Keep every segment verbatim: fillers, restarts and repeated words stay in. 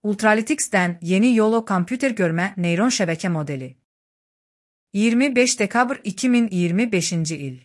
Ultralytics'ten yeni YOLO kompüter görme neyron şebeke modeli. yirmi beş dekabr iki min iyirmi beşinci il.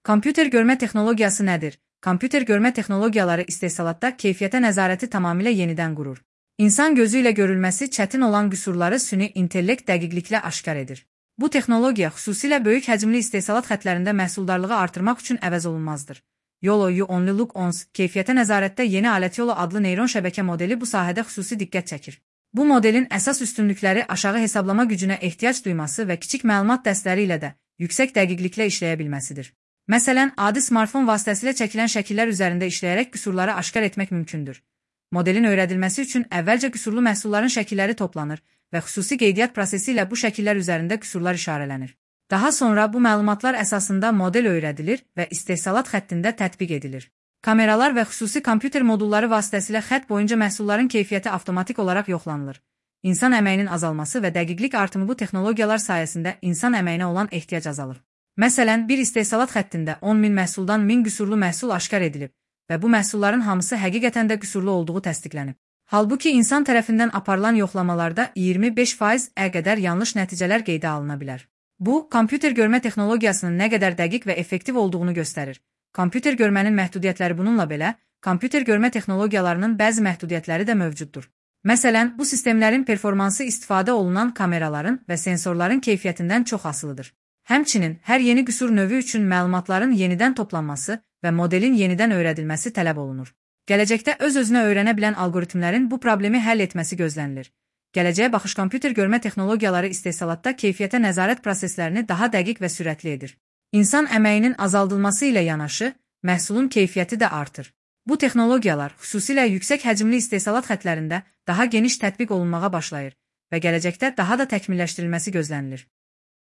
Kompüter görme texnologiyası nədir? Kompüter görme texnologiyaları istehsalatda keyfiyyətə nəzarəti tamamilə yenidən qurur. İnsan gözü ilə görülməsi çətin olan qüsurları süni intellekt dəqiqliklə aşkar edir. Bu texnologiya xüsusilə böyük həcmli istehsalat xətlərində məhsuldarlığı artırmaq üçün əvəz olunmazdır. YOLO You Only Look Once keyfiyyətə nəzarətdə yeni alət YOLO adlı neyron şəbəkə modeli bu sahədə xüsusi diqqət çəkir. Bu modelin əsas üstünlükləri aşağı hesablama gücünə ehtiyac duyması və kiçik məlumat dəstləri ilə də yüksək dəqiqliklə işləyə bilməsidir. Məsələn, adi smartfon vasitəsilə çəkilən şəkillər üzərində işləyərək qüsurları aşkar etmək mümkündür. Modelin öyrədilməsi üçün əvvəlcə qüsurlu məhsulların şəkilləri toplanır və xüsusi qeydiyyat prosesi ilə bu şəkillər üzərində qüsurlar işarələnir. Daha sonra bu məlumatlar əsasında model öyrədilir və istehsalat xəttində tətbiq edilir. Kameralar və xüsusi kompüter modulları vasitəsilə xətt boyunca məhsulların keyfiyyəti avtomatik olaraq yoxlanılır. İnsan əməyinin azalması və dəqiqlik artımı bu texnologiyalar sayəsində insan əməyinə olan ehtiyac azalır. Məsələn, bir istehsalat xəttində on min məhsuldan min qüsurlu məhsul aşkar edilib və bu məhsulların hamısı həqiqətən də qüsurlu olduğu təsdiqlənib. Halbuki insan tərəfindən aparılan yoxlamalarda iyirmi beş faiz-ə qədər yanlış nəticələr qeydə alına bilər. Bu, kompüter görmə texnologiyasının nə qədər dəqiq və effektiv olduğunu göstərir. Kompüter görmənin məhdudiyyətləri bununla belə, kompüter görmə texnologiyalarının bəzi məhdudiyyətləri də mövcuddur. Məsələn, bu sistemlərin performansı istifadə olunan kameraların və sensorların keyfiyyətindən çox asılıdır. Həmçinin, hər yeni qüsur növü üçün məlumatların yenidən toplanması və modelin yenidən öyrədilməsi tələb olunur. Gələcəkdə öz-özünə öyrənə bilən algoritmlərin bu problemi həll etməsi gözlənilir. Gələcəyə baxış kompüter görmə texnologiyaları istehsalatda keyfiyyətə nəzarət proseslərini daha dəqiq və sürətli edir. İnsan əməyinin azaldılması ilə yanaşı, məhsulun keyfiyyəti də artır. Bu texnologiyalar xüsusilə yüksək həcmli istehsalat xətlərində daha geniş tətbiq olunmağa başlayır və gələcəkdə daha da təkmilləşdirilməsi gözlənilir.